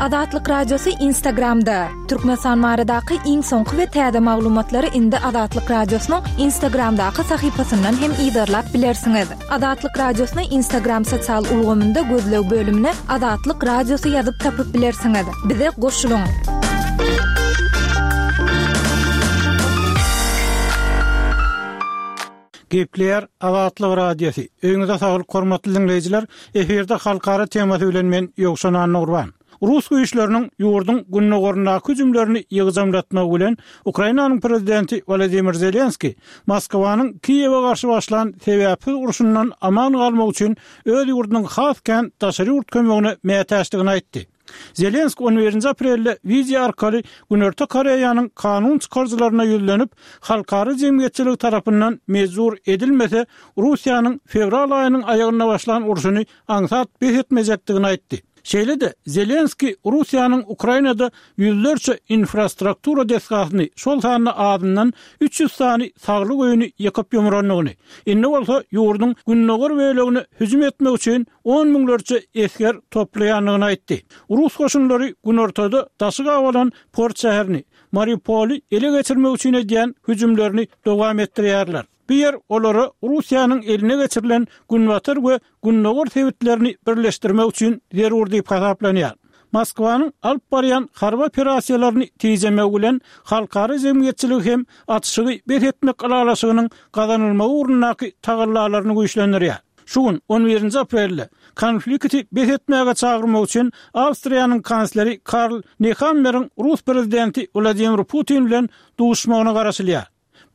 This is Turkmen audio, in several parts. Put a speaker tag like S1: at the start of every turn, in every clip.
S1: Azatlyk Radiosy Instagramda! Türkmenistan baradaky iň soňky we täze maglumatlary indi Azatlyk Radiosynyň Instagramdaky sahypasyndan hem yzarlap bilersiňiz. Azatlyk Radiosyny Instagram sosial ulgamynda gözleg bölümine Azatlyk Radiosy ýazyp tapyp bilersiňiz. Bize goşulyň!
S2: Gepleýär Azatlyk Radiosy. Öýüňize saglyk hormatly diňleýjiler. Efirde halkara temasy bilen men Ýowşan Annagurban. Rus güýçleriniň ýurduň gündogaryndaky hüjümlerini ýygjamlatmagy bilen Ukrainanyň prezidenti Wolodymyr Zelenskiý Moskwanyň Kiýewe garşy başlan sebäpsiz urşundan aman galmak üçin öz ýurdunyň has kän daşary ýurt kömegine mätäçdigini aýtdy. Zelenskiý on birinji aprelde wideo arkaly Günorta Koreýanyň kanun çykaryjylaryna ýüzlenip, halkara jemgyýetçiligi tarapyndan mejbur edilmese, Russiýanyň fewral aýynyň aýagynda başlan urşuny aňsat bes etmejekdigini aýtdy. Şeýle-de, Zelenskiý Russiýanyň Ukrainada ýüzlerçe infrastruktura desgasyny, şol sanda azyndan 300 sany saglyk öýüni ýykyp-ýumrandygyny, indi bolsa ýurduň gündogar bölegine hüjüm etmek üçin on müňlerçe esger toplaýandygyny aýtdy. Rus goşunlary günortada daşy gabalan port şäherini, Mariupoly ele geçirmek üçin edýän hüjümlerini dowam etdirýärler. Bu ýer olara Russiýanyň eline geçirilen günbatar we gündogar sebitlerini birleşdirmek üçin zerur diýip hasaplanýar. Moskwanyň alyp barýan harby operasiýalaryny tijemegi bilen halkara jemgyýetçiligi hem atyşygy bes etmek ylalaşygynyň gazanylmagy ugrundaky tagallalaryny güýçlendirýär. Şu gün, on birinji aprelde, konflikti bes etmäge çagyrmak üçin Awstriýanyň kansleri Karl Nehammeriň rus prezidenti Wladimir Putin bilen duşuşmagyna garaşylýar.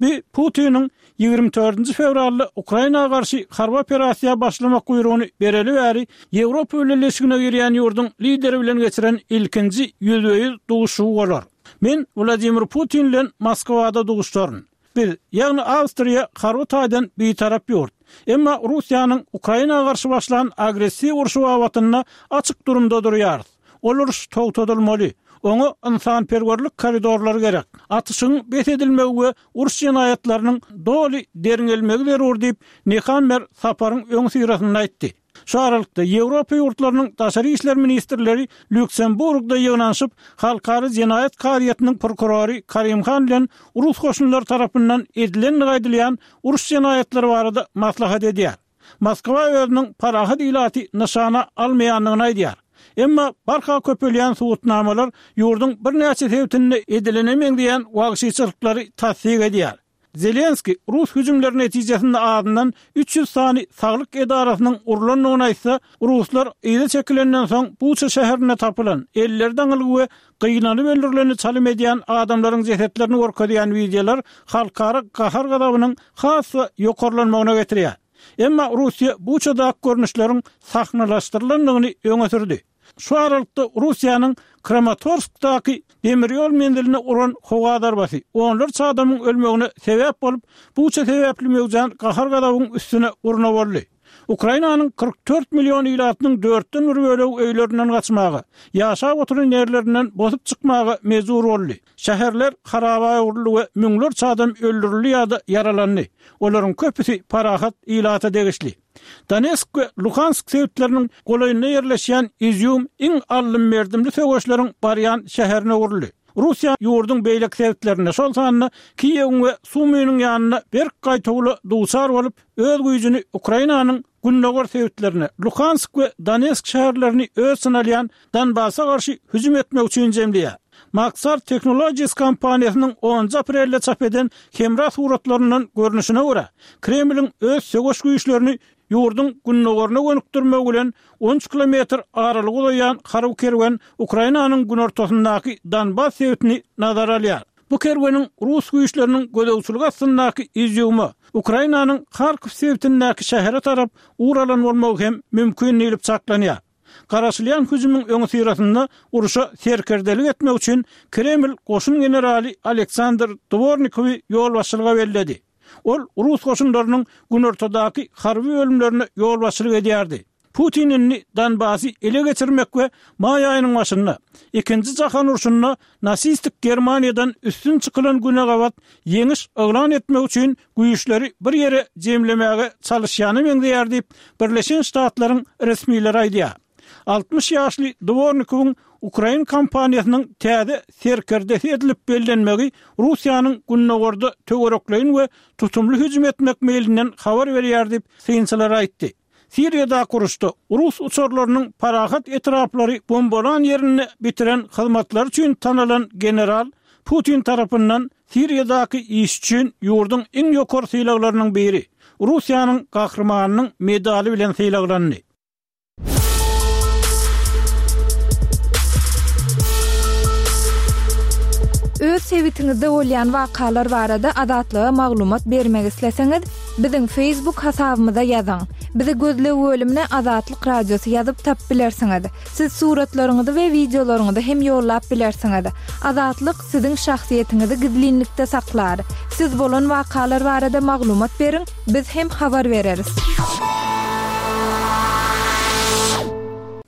S2: Bu Putiniň 24 fewralda Ukraina garşy harby operasiýa başlamak buýrugyny bereli bäri Ýewropa Bileleşigine girýän ýurduň lideri bilen geçiren ilkinji ýüzbe-ýüz duşuşygy bolar. Men Wladimir Putin bilen Moskwada duşuşaryn. Biz, ýagny Awstriýa harby taýdan bitarap ýurt. Emma Russiýanyň Ukraina garşy başlan agressiw urşy babatynda açyk durumda durýarys. Ol uruş togtadylmaly. Oňa ynsanperwerlik koridorlary gerek. Atyşygyň bes edilmegi we uruş jenaýatlarynyň doly derňelmegi zerur diýip, Nehammer saparyň öňüsyrasynda aýtdy. Şu aralykda, Ýewropa ýurtlarynyň daşary işler ministrleri Lýuksemburgda ýygnanyşyp, Halkara jenaýat kazyýetiniň prokurory Karim Han bilen rus goşunlary tarapyndan edilendigi aýdylýan uruş jenaýatlary barada maslahat edýär. Moskwa özüniň parahat ilaty nyşana almaýandygyny aýdýar. Emma barha köpelýän subutnamalar ýurduň birnäçe sebitinde edilene meňzeýän wagşyçylyklary tassyk edýär. Zelenskiý rus hüjümleri netijesinde azyndan 300 sany saglyk edarasynyň urlandygyny aýtsa, ruslar yza çekilenden soň Buça şäherinde tapylan, elleri daňylgy we gynalyp öldürileni çalym edýän adamlaryň jesetlerini görkezýän wideolar halkara gahar-gazabynyň has-da ýokarlanmagyna getirýär. Emma Russiýa Buçadaky görnüşleriň sahnalaşdyrylandygyny öňe sürdi. Şu aralykda Russiýanyň Kramatorskdaky demir ýol menziline uran howa zarbasy onlarça adamyň ölmegine sebäp bolup, Buça sebäpli möwjän gahar-gazabyň üstüne urna boldy. Ukrainanyň 44 million ilatynyň dörtden bir bölegi öýlerinden gaçmaga, ýaşap oturan ýerlerinden bosup çykmaga mejbur boldy. Şäherler haraba öwrüldi we müňlerçe adam öldürildi ýa-da ýaralandy. Olaryň köpüsi parahat ilata degişli. Donetsk we Luhansk sebitleriniň golaýynda ýerleşýän Izýum iň aldym-berdimli söweşleriň barýan şäherine öwrüldi. Russiýa ýurduň beýleki sebitlerinde, şol sanda Kiýewiň we Sumynyň ýanynda berk gaýtawula duçar bolup, öz güýjüni Ukrainanyň gündogar sebitlerine, Luhansk we Donetsk şäherlerini öz içine alýan Donbasa garşy hüjüm etmek üçin jemleýär. Maxar Technologies kompaniýasynyň onunjy aprelde çap eden hemra suratlaryndan görnüşine görä, Kremliň öz söweş güýçlerini ýurduň gündogaryna gönükdirmegi bilen 13 kilometr aralyga uzaýan harby kerwen Ukrainanyň günortasyndaky Donbas sebitini nazara alýar. Bu kerweniň rus güýçleriniň gözegçiligi astyndaky Izýuma, Ukrainanyň Harkow sebitindäki şähere tarap ugur alan bolmagy hem mümkin diýlip çaklanýar. Garaşylýan hüjümiň öňüsyrasynda urşa serkerdelik etmek üçin Kreml goşun generaly Aleksandr Dwornikowy ýolbaşçylyga belledi. Ol rus goşunlarynyň günortadaky harby bölümlerine ýolbaşçylyk edýärdi. Putin indi Donbasy ele geçirmek we maý aýynyň başynda, Ikinji jahan urşunda nasistik Germaniýadan üstün çykylan güne gabat ýeňiş yglan etmek üçin güýçleri bir ýere jemlemäge çalyşýana meňzeýär diýip, Birleşen Ştatlaryň resmileri aýdýar. 60 ýaşly Dwornikowyň. ukrain kompaniýasynyň täze serkerdesi edilip bellenmegi Russiýanyň gündogarda töwerekleýin we tutumly hüjüm etmek meýlinden habar berýär diýip, synçylar aýtdy. Siriýadaky uruşda rus uçarlarynyň parahat etraplary bombalan ýerinde bitiren hyzmatlary üçin tanalan general Putin tarapyndan Siriýadaky işi üçin ýurduň iň ýokary sylaglarynyň biri, Russiýanyň Gahrymanynyň medaly bilen sylaglandy.
S1: Öz sebitiňizde bolýan wakalar barada Azatlyga maglumat bermek isleseňiz, biziň Facebook hasabymyza ýazyň. Bizi gözleg bölümine Azatlyk Radiosy ýazyp tapyp bilersiňiz. Siz suratlaryňyzy we wideolaryňyzy hem ýollap bilersiňiz. Azatlyk siziň şahsyýetiňizi gizlinlikde saklar. Siz bolan wakalar barada maglumat beriň, biz hem habar bereris.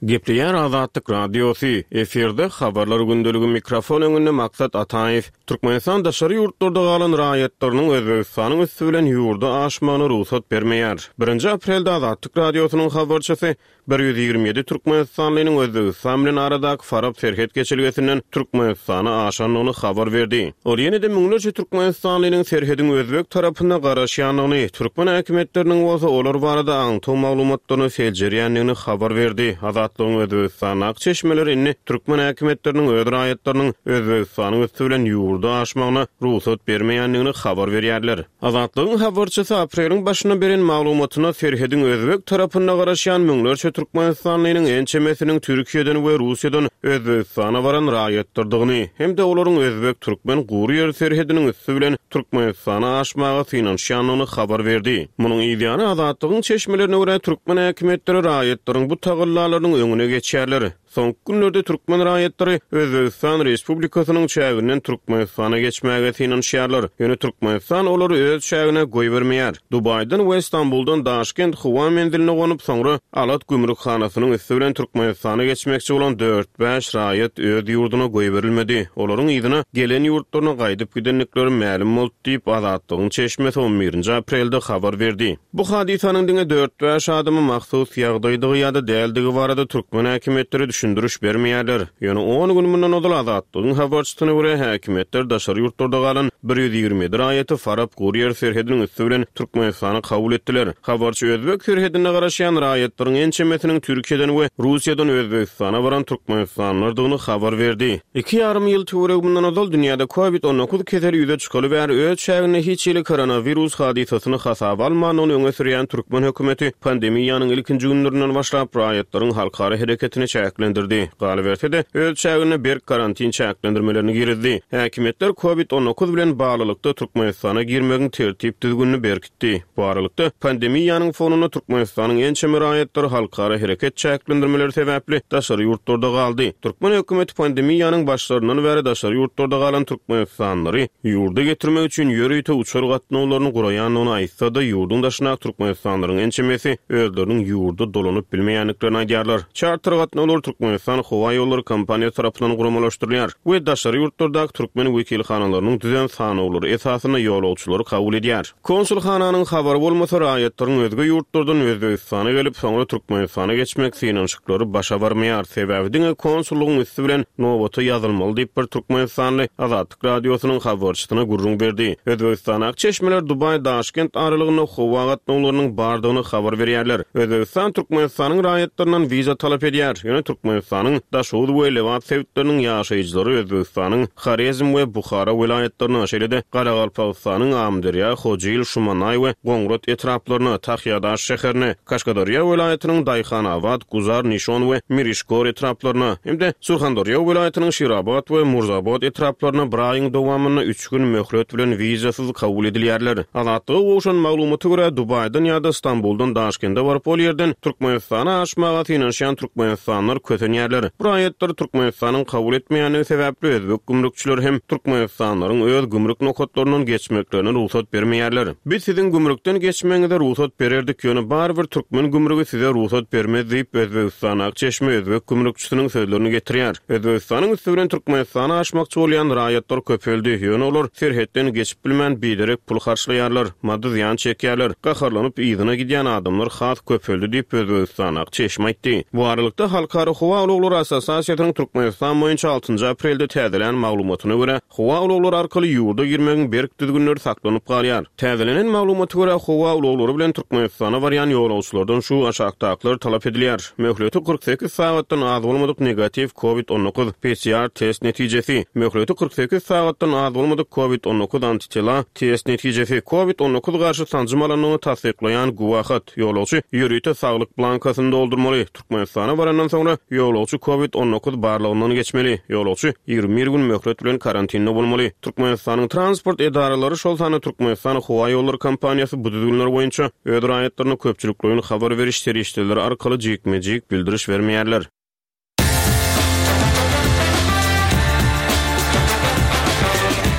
S3: Gepleýär Azatlyk Radiosy, efirde Habarlar gündeligi mikrofon öňünde Maksat Ataýew. Türkmenistan daşary ýurtlarda galan raýatlarynyň Özbegistanyň üsti bilen ýurda aşmagyna rugsat bermeýär. Birinji aprelde Azatlyk Radiosynyň habarçysy 127 türkmenistanlynyň Özbegistan bilen aradaky Farap serhet geçelgesinden Türkmenistana aşandygyny habar berdi. Ol ýene-de müňlerçe türkmenistanlynyň serhediň özbek tarapynda garaşýandygyny, türkmen häkimiýetleriniň bolsa olar barada aňtaw maglumatlaryny seljerýändigini habar berdi. Azatlygyň Özbegistandaky çeşmeleri indi türkmen häkimiýetleriniň öz raýatlarynyň Özbegistanyň üsti bilen ýurda aşmagyna rugsat bermeýändigini habar berýärler. Azatlygyň habarçysy apreliň başynda beren maglumatynda serhediň özbek tarapynda garaşýan müňlerçe türkmenistanlynyň ençemesiniň Türkiýeden we Russiýadan Özbegistana baran raýatlardygyny hem-de olaryň özbek-türkmen gury ýer serhediniň üsti bilen Türkmenistana aşmaga synanyşýandygyny habar berdi. Munuň yzýany Azatlygyň çeşmelerine görä, türkmen häkimiýetleri raýatlaryň bu tagallalarynyň öňüne geçýärler. Soňky günlerde türkmen raýatlary Özbegistan Respublikasynyň çäginden Türkmenistana geçmäge synanyşýarlar. Ýöne Türkmenistan olary öz çägine goýbermeýär. Dubaýdan we Stambuldan Daşkent howa menziline gonup, soňra Alat gümrükhanasynyň üsti bilen Türkmenistana geçmekçi bolan dört-bäş raýat öz ýurduna goýberilmedi. Olaryň yzyna, gelen ýurtlaryna gaýdyp gidendikleri mälim boldy diýip, Azatlygyň çeşmesi on birinji aprelde habar berdi. Bu hadysanyň diňe dört-bäş adama mahsus ýagdaýdygy ýa-da däldigi barada türkmen häkimiýetleri düşündiriş bermeýärler. Ýöne on gün mundan ozal Azatlygyň habarçysyna görä, häkimiýetler daşary ýurtlarda galan 127 raýaty Farap gury ýer serhediniň üsti bilen Türkmenistana kabul etdiler. Habarçy özbek serhedinde garaşýan raýatlaryň ençemesiniň Türkiýeden we Russiýadan Özbegistana baran türkmenistanlylardygyny habar berdi. Iki ýarym ýyl töweregi mundan ozal dünýäde Covid 19 keseli ýüze çykaly bäri öz çäginde hiç hili koronawirus hadysasyny hasaba almandygyny öňe sürýän türkmen hökümeti pandemiýanyň ilkinji günlerinden başlap raýatlaryň halkara hereketini çäklendirdi. Galyberse-de, öz çäginde berk karantin çäklendirmelerini girizdi. Häkimiýetler Covid 19 bilen baglylykda Türkmenistana girmegiň tertip-düzgünini berkitdi. Etdi. Bu aralykda, pandemiýanyň fonunda Türkmenistanyň ençeme raýatlary halkara hereket çäklendirmeleri sebäpli daşary ýurtlarda galdy. Türkmen hökümeti pandemiýanyň başlaryndan bäri daşary ýurtlarda galan türkmenistanlylary ýurda getirmek üçin ýörite uçar gatnawlaryny guraýandygyny aýtsa-da, ýurduň daşyndaky türkmenistanlylaryň ençemesi özleriniň ýurda dolanyp bilmeýändiklerini aýdýarlar. Çarter gatnawlary Türkmenistan howaýollary kompaniýasy tarapyndan guramalaşdyrylýar we daşary ýurtlardaky türkmen wekilhanalarynyň düzen sanawlary esasynda ýolagçylary kabul edýär. Konsulhananyň habary bolmasa, raýatlaryň özge ýurtlardan Özbegistana gelip, soňra Türkmenistana geçmek synanyşyklary başa barmaýar. Sebäbi diňe konsullygyň üsti bilen nobata ýazylmaly diýip, bir türkmenistanly Azatlyk Radiosynyň habarçysyna gürrüň berdi. Özbegistandaky çeşmeler Dubaý-Daşkent aralygynda howa gatnawlarynyň bardygyny habar berýärler. Özbegistan Türkmenistanyň raýatlaryndan wiza talap edýär. Ýöne Türkmenistanyň Daşoguz we Lebap sebitleriniň ýaşaýjylary Özbegistanyň Horezm we Buhara welaýatlaryna, şeýle-de Garagalpagystanyň Amyderýa, Hojil, Şumanaý we Goňrat etraplaryna, Tahýadaş şäherine, Kaşgaderýa welaýatynyň Daýhanabat, Guzar, Nişon we Mirişgor etraplaryna hem-de Surhanderýa welaýatynyň Şirabat we Murzabot etraplaryna bir aýyň dowamynda üç gün möhlet bilen wizasyz kabul edilýärler. Azatlyga gowşan maglumata görä, Dubaýdan ýa-da Stambuldan Daşkende baryp, ol ýerden Türkmenistana aşmaga synanyşýan türkmenistanlylar kösenýärler. Bu raýatlary Türkmenistanyň kabul etmeýändigi sebäpli özbek gümrükçileri hem türkmenistanlylaryň öz gümrük nokatlaryndan geçmeklerine rugsat bermeýärler. Biz siziň gümrükden geçmegiňize rugsat bererdik, ýöne barybir türkmen gümrügi size rugsat bermez diýip, Özbegistandaky çeşme özbek gümrükçisiniň sözlerini getirýär. Özbegistanyň üsti bilen Türkmenistana aşmakçy bolýan raýatlar köpeldi, ýöne olar serhetden geçip bilmän biderek pul harçlaýarlar, maddy zyýan çekýärler, gaharlanyp yzyna gidýän adamlar has köpeldi diýip, Özbegistandaky çeşme aýtdy. Bu aralykda, halkara howa. Howa ulaglary assosiasiýasynyň Türkmenistan boýunça altynjy aprelde täzelän maglumatyna görä, howa ulaglary arkaly ýurda girmegiň berk düzgünleri saklanyp galýar. Täzelenen maglumata görä, howa ulaglary bilen Türkmenistana barýan ýolagçylardan şu aşakdakylar talap edilýär, möhleti 48 sagatdan az bolmadyk negatiw Covid 19 PCR test netijesi, möhleti 48 sagatdan az bolmadyk Covid 19 antitela test netijesi, Covid 19 garşy sanjym alandygyny tassyklaýan güwähat, ýolagçy ýörite saglyk blankasyny doldurmaly, Türkmenistana barandan soňra, ýolagçy Covid 19 barlagyndan geçmeli. Ýolagçy 21 gün möhlet bilen karantinde bolmaly. Türkmenistanyň transport edaralary, şol sanda Türkmenistan howaýollary kompaniýasy bu düzgünler boýunça öz raýatlaryna köpçülikleýin habar beriş serişdeleri arkaly jikme-jik bildiriş bermeýärler.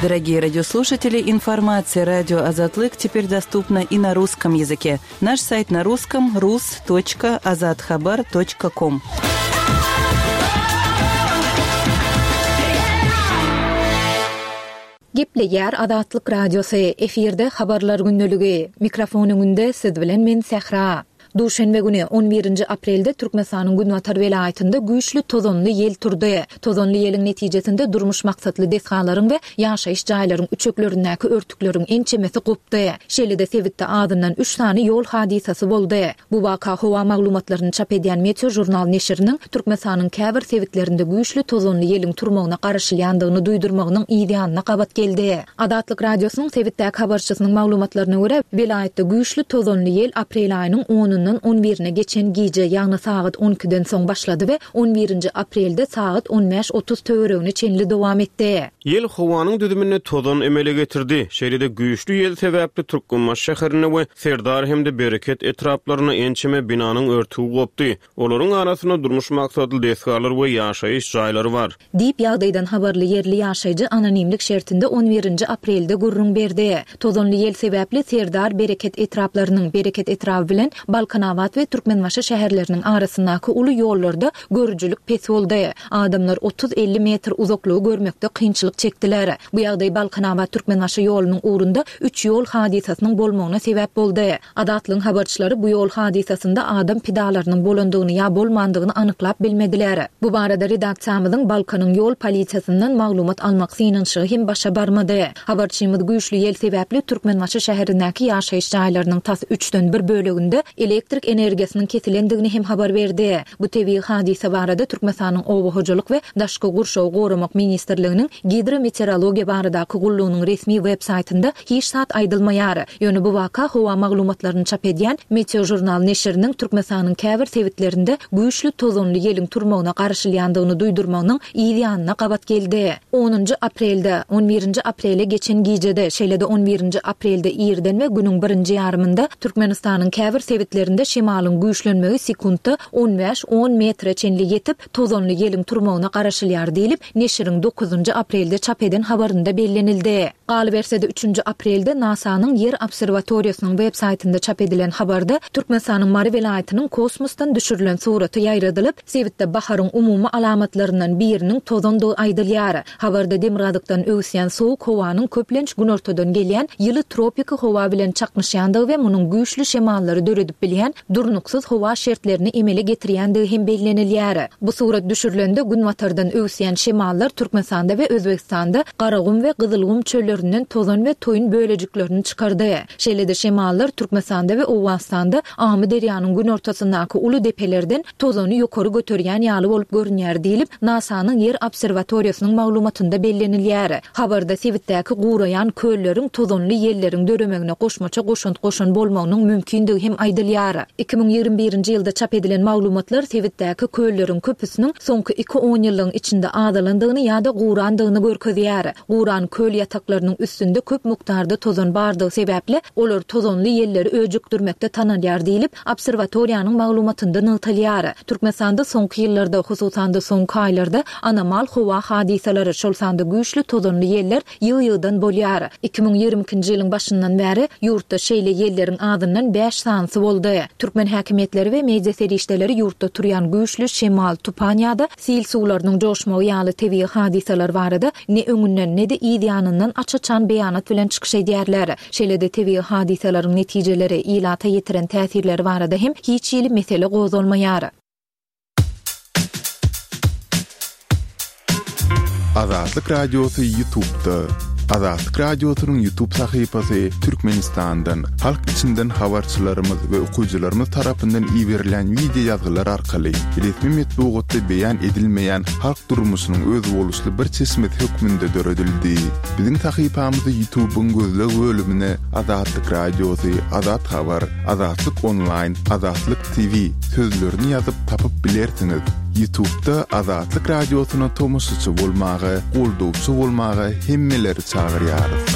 S4: Дорогие радиослушатели, информация радио Азатлык теперь доступна и на русском языке. Наш сайт на русском rus.azathabar.com.
S1: Gepleýär Azatlyk Radiosy, efirde Habarlar gündeligi. Mikrofon öňünde siz bilen men Sähra. Duşenbe güni, on birinji aprelde Türkmenistanyň günbatar welaýatynda güýçli tozanly ýel turdy. Tozanly ýeliň netijesinde durmuş maksatly desgalaryň we ýaşaýyş jaýlaryň üçeklerindäki örtükleriň ençemesi gopdy. Şeýle-de sebitde azyndan üç sany ýol hadysasy boldy. Bu waka howa maglumatlaryny çap edýän Meteožurnal neşiriniň Türkmenistanyň käbir sebitlerinde güýçli tozanly ýeliň turmagyna garaşylýandygyny duýdurmagynyň yz ýanyna gabat geldi. Azatlyk Radiosynyň sebitdäki habarçysynyň maglumatlaryna görä, welaýatda güýçli tozanly ýel aprel aýynyň onundan on birine geçen gije, ýagny sagat on ikiden soň başlady we on birinji aprelde sagat on bäş-otuz töweregine çenli dowam etdi.
S3: Ýel howanyň düzüminde tozan emele getirdi. Şeýle-de güýçli ýel sebäpli Türkmenbaşy şäherinde we Serdar hem-de Bereket etraplarynda ençeme binanyň örtügi gopdy. Olaryň arasynda durmuş maksatly desgalar we ýaşaýyş jaýlary bar.
S1: Diýip, ýagdaýdan habarly ýerli ýaşaýjy anonimlik şertinde on birinji aprelde gürrüň berdi. Tozanly ýel sebäpli Serdar, Bereket etraplarynyň, Bereket etraby bilen Balkanabat we Türkmenbaşy şäherleriniň arasyndaky uly ýollarda görüjilik pes boldy. Adamlar otuz-elli metr uzaklygy görmekde kynçylyk çekdiler. Bu ýagdaý Balkanabat-Türkmenbaşy ýolunyň ugrunda üç ýol hadysasynyň bolmagyna sebäp boldy. Azatlygyň habarçylary bu ýol hadysasynda adam pidalarynyň bolandygyny ýa bolmandygyny anyklap bilmediler. Bu barada redaksiýamyzyň Balkanyň ýol polisiýasyndan maglumat almak synanyşygy hem başa barmady. Habarçymyz güýçli ýel sebäpli Türkmenbaşy şäherindäki ýaşaýyş jaýlarynyň tas üçden bir böleginde elektrik energiýasynyň kesilendigini hem habar berdi. Bu tebigy hadysa barada Türkmenistanyň Oba hojalyk we daşky gurşawy goramak ministrliginiň Gidrometeorologiýa baradaky gullugynyň resmi web saýtynda hiç zat aýdylmaýar. Ýöne bu waka howa maglumatlaryny çap edýän Meteožurnal neşiriniň Türkmenistanyň käbir sebitlerinde güýçli tozanly ýeliň turmagyna garaşylýandygyny duýdurmagynyň yz ýanyna gabat geldi. Onunjy aprelde, on birinji aprele geçen gijede, şeýle-de on birinji aprelde irden we günüň birinji ýarymynda Türkmenistanyň käbir sebitlerinde şemalyň güýçlenmegi sekuntda on bäş, on metre çenli ýetip, tozanly ýeliň turmagyna garaşylýar diýlip, neşiriň dokuzynjy aprelde çap eden habarynda bellenildi. Galyberse-de, üçünji aprelde NASA-nyň Ýer obserwatoriýasynyň web saýtynda çap edilen habarda Türkmenistanyň Mary welaýatynyň kosmosdan düşürilen suraty ýaýradylyp, sebitde baharyň umumy alamatlaryndan biriniň tozandygy aýdylýar. Habarda demirgazykdan öwüsýän sowuk howanyň köplenç günortadan gelýän ýyly tropiki howa bilen çaknyşýandygy we munuň güýçli şemallary döredip bilýän durnuksyz howa şertlerini emele getirýändigi hem bellenilýär. Bu surat düşürilende günbatardan öwüsýän şemallar Türkmenistanda we Özbegistanda Garagum we Gyzylgum çöllerinden tozan we toýun bölejiklerini çykardy. Şeýle-de şemallar Türkmenistanda we Owganystanda Amyderýanyň günortasyndaky uly depelerden tozany ýokary göterýän ýaly bolup görünýär diýlip, NASA-nyň Ýer obserwatoriýasynyň maglumatynda bellenilýär. Habarda sebitdäki guraýan kölleriň tozanly ýelleriň döremegine goşmaça goşant goşan bolmagynyň mümkindigi hem aýdylýar. 2021-nji ýylda çap edilen maglumatlar sebitdäki kölleriň köpüsiniň soňky iki onýyllygyň içinde azalandygyny ýa-da gurandygyny görkezýär. Guran köl ýataklarynyň üstünde köp mukdarda tozan bardygy sebäpli, olar tozanly ýelleri öjükdirmekde tanalýar diýlip, Obserwatoriýanyň maglumatynda nygtalýar. Türkmenistanda soňky ýyllarda, hususan-da soňky aýlarda anomal howa hadysalary, şol sanda güýçli tozanly ýeller ýygy-ýygydan bolýar. 2022-nji ýylyň başyndan bäri ýurtda şeýle ýelleriň azyndan bäş sanysy boldy. Türkmen häkimiýetleri we media serişdeleri ýurtda turýan güýçli şemal, tupan ýa-da sil suwlarynyň joşmagy ýaly tebigy hadysalar barada ne öňünden, ne-de yz ýanyndan aç-açan beýanat bilen çykyş edýärler. Şeýle-de tebigy hadysalaryň netijeleri, ilata ýetiren täsirleri barada hem hiç hili mesele gozgalmaýar.
S5: Azatlyk Radiosy Ýutubda. Azatlyk Radiosynyň Ýutub sahypasy Türkmenistandan, halk içinden habarçylarymyz we okyjylarymyz tarapyndan iberilýän wideo ýazgylar arkaly resmi metbugatda beýan edilmeýän halk durmuşynyň özboluşly bir çeşmesi hökmünde döredildi. Biziň sahypamyzy Ýutubyň gözleg bölümine Azatlyk Radiosy, Azat Habar, Azatlyk Onlaýn, Azatlyk TV sözlerini ýazyp tapyp bilersiňiz. Ýutubda Azatlyk Radiosyna tomaşaçy bolmaga, goldawçy bolmaga hemmeleri çagyrýarys.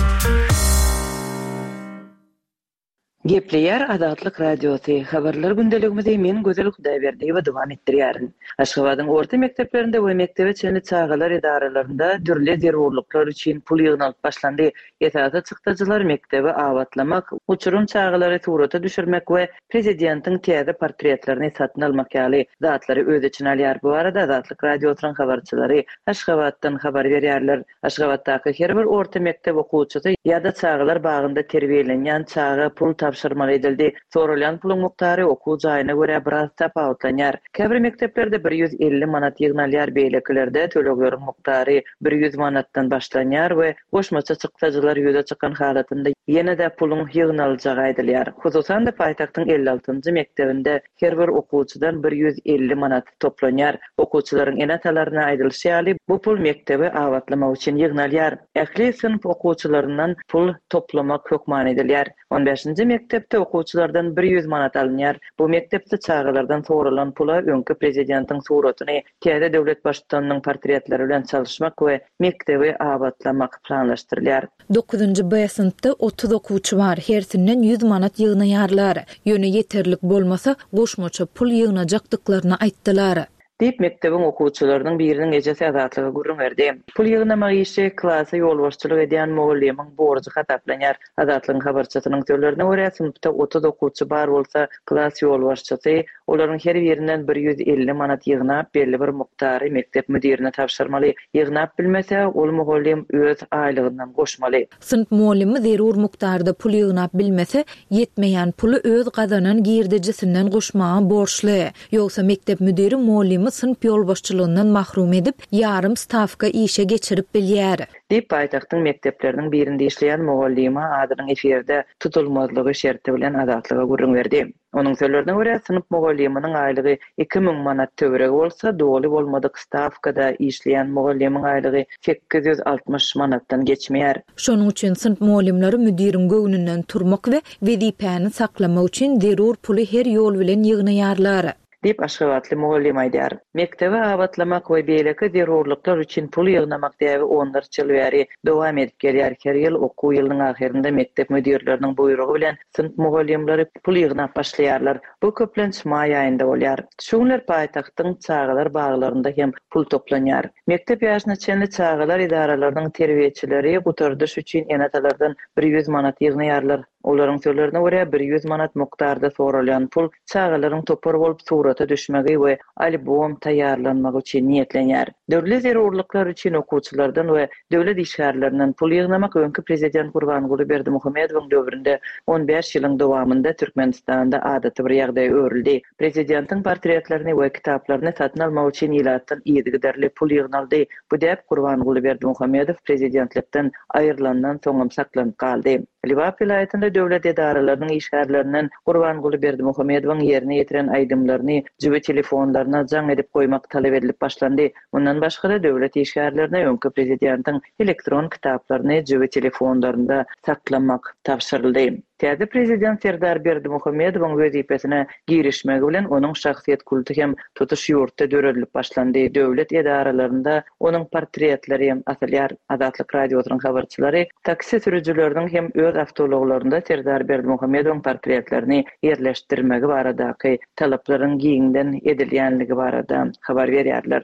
S4: Gepleýär Azatlyk Radiosy, Habarlar gündeligimizi men Gözel Hudaýberdiýewa dowam etdirýärin. Aşgabadyň orta mekdeplerinde we mekdebe çenli çagalar edaralarynda dürli zerurlyklar üçin pul ýygnalyp başlandy. Esasy çykdajylar mekdebi abatlamak, uçurym çagalary surata düşürmek we prezidentiň täze portretlerini satyn almak ýaly zatlary öz içine alýar. Bu barada Azatlyk Radiosynyň habarçylary Aşgabatdan habar berýärler. Aşgabatdaky her bir orta mekdep okuwçysy ýa-da çagalar bagynda terbiýelenýän çaga pul tabşyrmaly edildi. Soralýan puluň mukdary okuw jaýyna görä biraz tapawutlanýar. Käbir mekdeplerde 150 manat ýygnalýar, beýlekilerde tölegleriň mukdary 100 manatdan başlanýar we goşmaça çykdajylar ýüze çykan halatynda ýene-de puluň ýygnaljagy aýdylýar. Hususan-da, paýtagtyň 56-njy mekdebinde her bir okuwçydan 150 manat toplanýar. Okuwçylaryň ene-atalaryna aýdylyşy ýaly, bu pul mekdebi abatlamak üçin ýygnalýar. Ähli synp okuwçylaryndan pul toplamak hökman edilýär. On bäşinji mekdepde okuwçylardan 100 manat alynýar. Bu mekdepde çagalardan soralan pula öňki prezidentiň suratyny täze döwlet baştutanynyň portretleri bilen çalyşmak we mekdebi abatlamak planlaşdyrylýar.
S1: Dokuzynjy B synpda 30 okuwçy bar, hersinden 100 manat ýygnaýarlar. Ýöne ýeterlik bolmasa, goşmaça pul ýygnajakdyklaryny aýtdylar.
S4: Diýip, mekdebiň okuwçylarynyň biriniň ejesi Azatlyga gürrüň berdi. Pul ýygnamak işi klasa ýolbaşçylyk edýän mugallymyň borjy hasaplanýar. Azatlygyň habarçysynyň sözlerine görä, synpda 30 okuwçy bar bolsa, klas ýolbaşçysy Olaryň her birinden 150 manat ýygnap, belli bir mukdary mekdep müdirine tabşyrmaly. Ýygnap bilmese, ol mugallym öz aýlygyndan goşmaly.
S1: Synp mugallymy zerur mukdarda pul ýygnap bilmese, ýetmeýän puly öz gazanan girdejisinden goşmaga borçly. Ýogsa mekdep müdiri mugallymy synp ýolbaşçylygyndan mahrum edip, ýarym stawka işe geçirip bilýär.
S4: Diýip, paýtagtyň mekdepleriniň birinde işleýän mugallyma adynyň efirde tutulmazlygy şerti bilen Azatlyga gürrüň berdi. Onuň sözlerine görä, synp mugallymynyň aýlygy 2000 manat töweregi bolsa, doly bolmadyk stawkada işleýän mugallymyň aýlygy 860 manatdan geçmeýär.
S1: Şonuň üçin synp mugallymlary müdiriň göwnünden turmak we wezipäni saklamak üçin zerur puly her ýol bilen ýygnaýarlar.
S4: Diýip, aşgabatly mugallym aýdýar. Mekdebi abatlamak we beýleki zerurlyklar üçin pul ýygnamak däbi onlarça ýyl bäri dowam edip gelýär. Her ýyl okuw ýylynyň ahyrynda mekdep müdirleriniň buýrugy bilen synp mugallymlary pul ýygnap başlaýarlar. Bu köplenç maý aýynda bolýar. Şu günler paýtagtyň çagalar baglarynda hem pul toplanýar. Mekdep ýaşyna çenli çagalar edaralarynyň terbiýeçileri gutardyş üçin ene-atalardan 100 manat ýygnaýarlar. Olaryň sözlerine görä, 100 manat mukdarda soralýan pul çagalaryň topar bolup surata düşmegi we albom taýýarlanmagy üçin niýetlenýär. Dürli zerurlyklar üçin okuwçylardan we döwlet işgärlerinden pul ýygnamak öňki prezident Gurbanguly Berdimuhamedowyň döwründe on bäş ýylyň dowamynda Türkmenistanda adaty bir ýagdaýa öwrüldi. Prezidentiň portretlerini we kitaplaryny satyn almak üçin ilatdan yzygiderli pul ýygnaldy. Bu däp Gurbanguly Berdimuhamedow prezidentlikden aýrylandan soňam saklanyp galdy. Lebap welaýatynda döwlet edaralarynyň işgärlerinden Gurbanguly Berdimuhamedowyň ýerine ýetiren aýdymlaryny jübi telefonlaryna jaň edip goýmak talap edilip başlandy. Mundan başga-da, döwlet işgärlerine öňki prezidentiň elektron kitaplaryny jübi telefonlarynda saklamak tabşyryldy. Täze prezident Serdar Berdimuhamedowyň wezipesine girişmegi bilen onuň şahsyýet kulty hem tutuş ýurtda döredilip başlandy, döwlet edaralarynda onuň portretleri hem asylýar. Azatlyk Radiosynyň habarçylary taksi sürüjileriniň hem öz awtoulaglarynda Serdar Berdimuhamedowyň portretlerini ýerleşdirmegi baradaky talaplaryň giňden edilýänligi barada habar berýärler.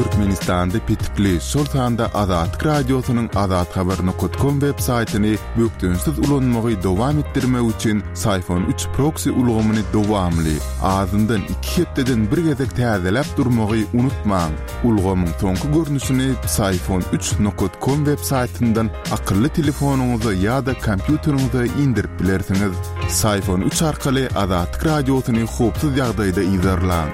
S5: Türkmenistanda petikli, şol sanda Azatlyk Radiosynyň azathabar nokat kom web saýtyny bökdençsiz ulanmagy dowam etdirmek üçin Syfon üç proksi ulgamyny dowamly, azyndan iki hepdeden bir gezek täzeläp durmagy unutmaň. Ulgamyň soňky görnüşini Psiphon üç nokat kom web saýtyndan akylly telefonyňyza ýa-da kompýuteriňize indirip bilersiňiz. Psiphon üç arkaly Azatlyk Radiosyny howpsuz ýagdaýda yzarlaň.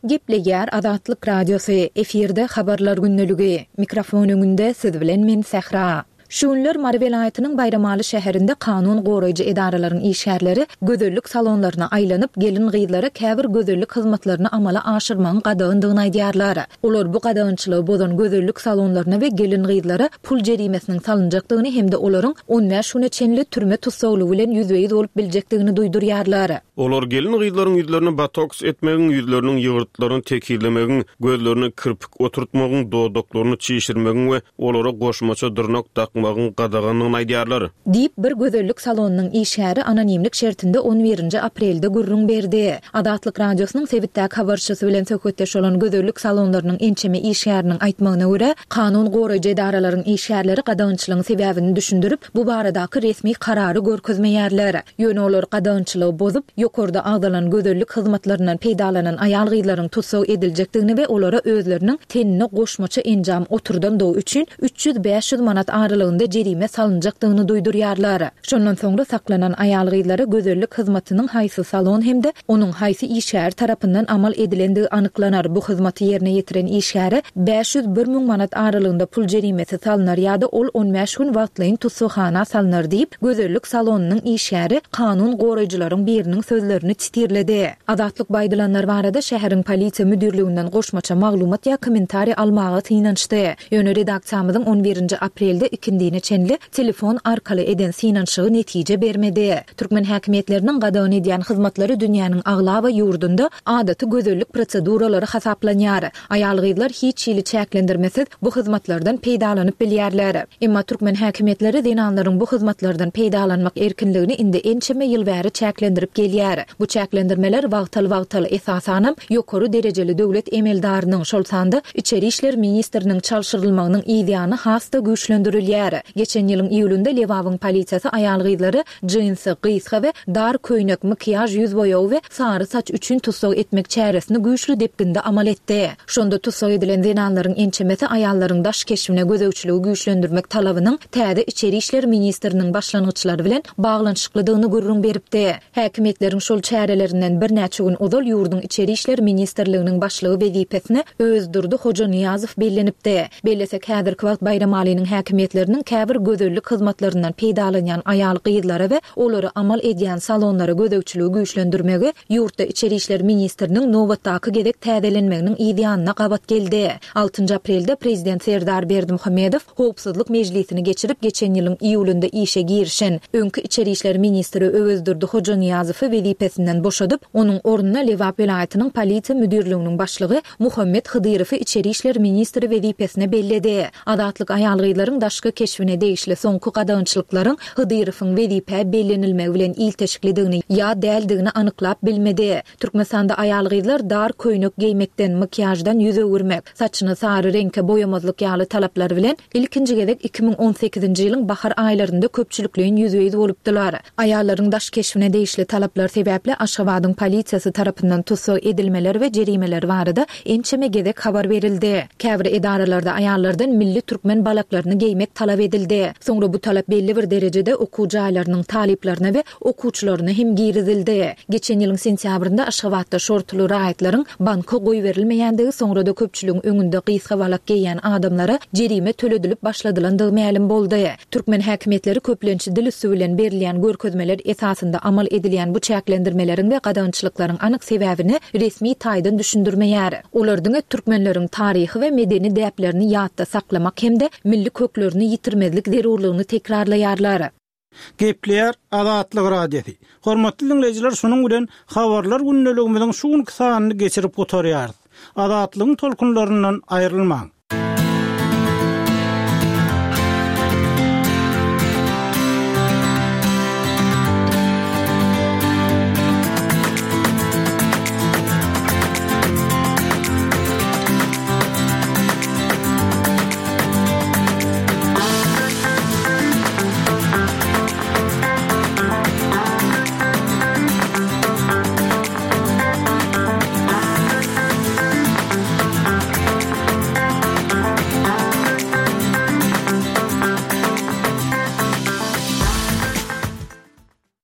S1: Gepleýär Azatlyk Radiosy, efirde Habarlar gündeligi. Mikrofon öňünde siz bilen men Sähra. Şu günler Mary welaýatynyň Baýramaly şäherinde kanun goraýjy edaralaryň işgärleri gözellik salonlaryna aýlanyp, gelin-gyzlara käbir gözellik hyzmatlaryny amala aşyrmagyň gadagandygyny aýdýarlar. Olar bu gadagançylygy bozan gözellik salonlaryna we gelin-gyzlara pul jerimesiniň salynjakdygyny hem-de olaryň on bäş güne çenli türme tussaglygy bilen ýüzbe-ýüz bolup biljekdigini duýdurýarlar.
S3: Olar gelin-gyzlaryň ýüzlerini botoks etmegiň, ýüzleriniň ýygyrtlaryny tekizlemegiň, gözlerine kirpik oturtmagyň, dodaklaryny çişirmegiň we olara goşmaça dyrnak dakmagyň gadagandygyny aýdýarlar.
S1: Diýip, bir gözellik salonynyň işgäri anonimlik şertinde on birinji aprelde gürrüň berdi. Azatlyk Radiosynyň sebitdäki habarçysy bilen söhbetdeş bolan gözellik salonlarynyň ençeme işgäriniň aýtmagyna görä, kanun goraýjy edaralaryň işgärleri gadagançylygyň sebäbini düşündirip, bu baradaky resmi karary görkezmeýärler. Ýöne olar gadagançylygy bozup, ýokarda agzalan gözellik hyzmatlaryndan peýdalanan aýal-gyzlaryň tussag ediljekdigini we olara özleriniň tenine goşmaça enjam oturdandygy üçin 300-500 manat aralygynda jerime salynjakdygyny duýdurýarlar. Şondan soňra saklanan aýal-gyzlara gözellik hyzmatynyň haýsy salon hem-de onuň haýsy işgäri tarapyndan amal edilendigi anyklanar, bu hyzmaty ýerine ýetiren işgäre 501 müň manat aralygynda pul jerimesi salnar ýa-da ol on bäş gün wagtlaýyn tussaghana salnar diýip, gözellik salonynyň işgäri kanun goraýjylaryň biriniň sözlerini titirledi. Azatlyk bu aýdylanlar barada şäheriň polisiýa müdirliginden goşmaça maglumat ýa kommentariý almaga synanyşdy. Ýöne redaksiýamyzyň on birinji aprelde ikindine çenli telefon arkaly eden synanyşygy netije bermedi. Türkmen häkimiýetleriniň gadagan edýän hyzmatlary dünýäniň aglaba ýurdunda adaty gözellik proseduralary hasaplanýar. Aýal-gyzlar hiç hili çäklendirmesiz bu hyzmatlardan peýdalanyp bilýärler. Emma türkmen häkimiýetleri zenanlaryň bu hyzmatlardan peýdalanmak erkinligini indi ençeme ýyl bäri çäklendirip gelýär. Bu çäklendirmeler wagtal-wagtal, esasanam, ýokary derejeli döwlet emeldarynyň, şol sanda içeri işler ministriniň çalşyrylmagynyň yzýany has-da güýçlendirilýär. Geçen ýylyň iýulynda Lebabyň polisiýasy aýal-gyzlary jinsi, gysga we dar köýnek, makiýaž ýüz boýagy we sary saç üçin tussag etmek çäresini güýçli depginde amal etdi. Şonda tussag edilen zenanlaryň ençemesi aýallaryň daş keşbine gözegçiligi güýçlendirmek talabynyň täze içeri işler ministriniň başlangyçlary bilen baglanyşyklydygyny gürrüň beripdi. Häkimiýetleriň şol çärelerinden birnäçe gün ozal ýurduň Içeri işler ministrliginiň başlygy wezipesine Öwezdurdy Hojanyýazow bellenipdi. Bellesek, häzirki wagt Baýramalynyň häkimiýetleriniň käbir gözellik hyzmatlaryndan peýdalanýan aýal-gyzlara we olary amal edýän salonlara gözegçiligi güýçlendirmegi ýurtda içeri işler ministriniň nobatdaky gezek täzelenmeginiň yz ýanyna gabat geldi. Altynjy aprelde prezident Serdar Berdimuhamedow howpsuzlyk mejlisini geçirip, geçen ýylyň iýulynda işe girişen öňki içeri işler ministri Öwezdurdy Hojanyýazowy wezipesinden boşadyp, onuň ornuna Lebap welaýatynyň polisiýa müdirliginiň başlygy Muhammet Hydyrowy içeri işler ministri wezipesine belledi. Azatlyk aýal-gyzlaryň daşky keşbine degişli soňky gadagançylyklaryň Hydyrowyň wezipä bellenilmegi bilen ilteşiklidigini ýa däldigini anyklap bilmedi. Türkmenistanda aýal-gyzlar dar köýnek geýmekden, makiýaždan ýüz öwürmek, saçyny sary reňke boýamazlyk ýaly talaplar bilen ilkinji gezek 2018-nji ýylyň bahar aýlarynda köpçülikleýin ýüzbe-ýüz bolupdylar. Aýallaryň daş keşbine degişli talaplar sebäpli Aşgabadyň polisiýasy tarapyndan tussag edilmeler we jerimeler barada ençeme gezek habar berildi. Käbir edaralarda aýallardan milli türkmen balaklaryny geýmek talap edildi. Soňra bu talap belli bir derejede okuw jaýlarynyň talyplaryna we okuwçylaryna hem girizildi. Geçen ýylyň sentýabrynda Aşgabatda şortuly raýatlaryň banka goýberilmeýändigi soňra-da köpçüligiň öňünde gysga balak geýýän adamlara jerime töledilip başladylandygy mälim boldy. Türkmen häkimiýetleri köplenç dil üsti bilen berilýän görkezmeler esasynda amal edilýän bu çäklendirmeleriň we gadagançylyklaryň anyk sebäbini resmi taýdan düşündirmeýär. Olar diňe türkmenleriň taryhy we medeni däplerini ýatda saklamak hem-de milli köklerini ýitirmezlik zerurlygyny tekrarlaýarlar.
S2: Gepleýär Azatlyk Radiosy. Hormatly diňleýjiler şunuň bilen Habarlar gündeligimiziň şu günki sanyny geçirip gutarýarys. Azatlygyň tolkunlaryndan aýrylmaň.